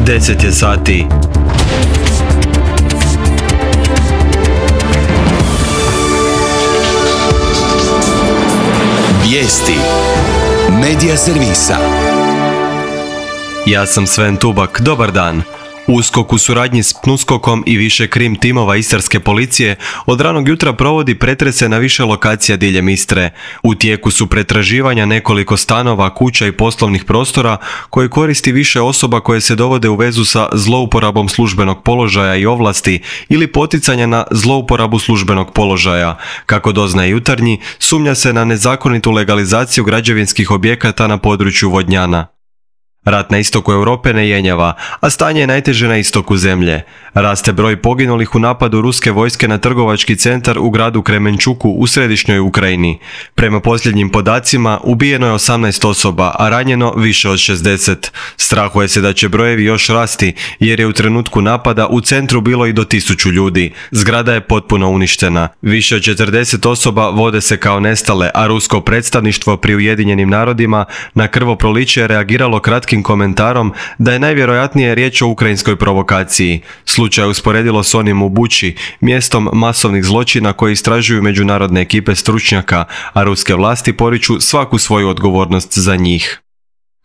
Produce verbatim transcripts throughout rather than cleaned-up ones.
deset je sati. Vijesti Medija servisa. Ja sam Sven Tubak, dobar dan. USKOK u suradnji s PNUSKOK-om i više krim timova Istarske policije od ranog jutra provodi pretrese na više lokacija diljem Istre. U tijeku su pretraživanja nekoliko stanova, kuća i poslovnih prostora koje koristi više osoba koje se dovode u vezu sa zlouporabom službenog položaja i ovlasti ili poticanja na zlouporabu službenog položaja. Kako doznaje Jutarnji, sumnja se na nezakonitu legalizaciju građevinskih objekata na području Vodnjana. Rat na istoku Europe ne jenjava, a stanje je najteže na istoku zemlje. Raste broj poginulih u napadu ruske vojske na trgovački centar u gradu Kremenčuku u središnjoj Ukrajini. Prema posljednjim podacima, ubijeno je osamnaest osoba, a ranjeno više od šezdeset. Strahuje se da će brojevi još rasti, jer je u trenutku napada u centru bilo i do tisuću ljudi. Zgrada je potpuno uništena. Više od četrdeset osoba vode se kao nestale, a rusko predstavništvo pri Ujedinjenim narodima na krvoproliće je reagiralo kratkim komentarom da je najvjerojatnije riječ o ukrajinskoj provokaciji. Slučaj je usporedilo s onim u Buči, mjestom masovnih zločina koji istražuju međunarodne ekipe stručnjaka, a ruske vlasti poriču svaku svoju odgovornost za njih.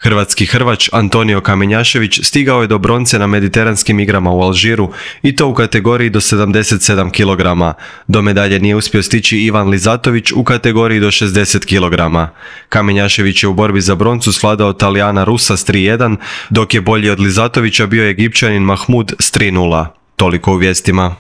Hrvatski hrvač Antonio Kamenjašević stigao je do bronce na mediteranskim igrama u Alžiru i to u kategoriji do sedamdeset sedam kilograma. Do medalje nije uspio stići Ivan Lizatović u kategoriji do šezdeset kilograma. Kamenjašević je u borbi za broncu svladao Talijana Rusa s tri jedan, dok je bolji od Lizatovića bio Egipćanin Mahmud s tri nula. Toliko u vijestima.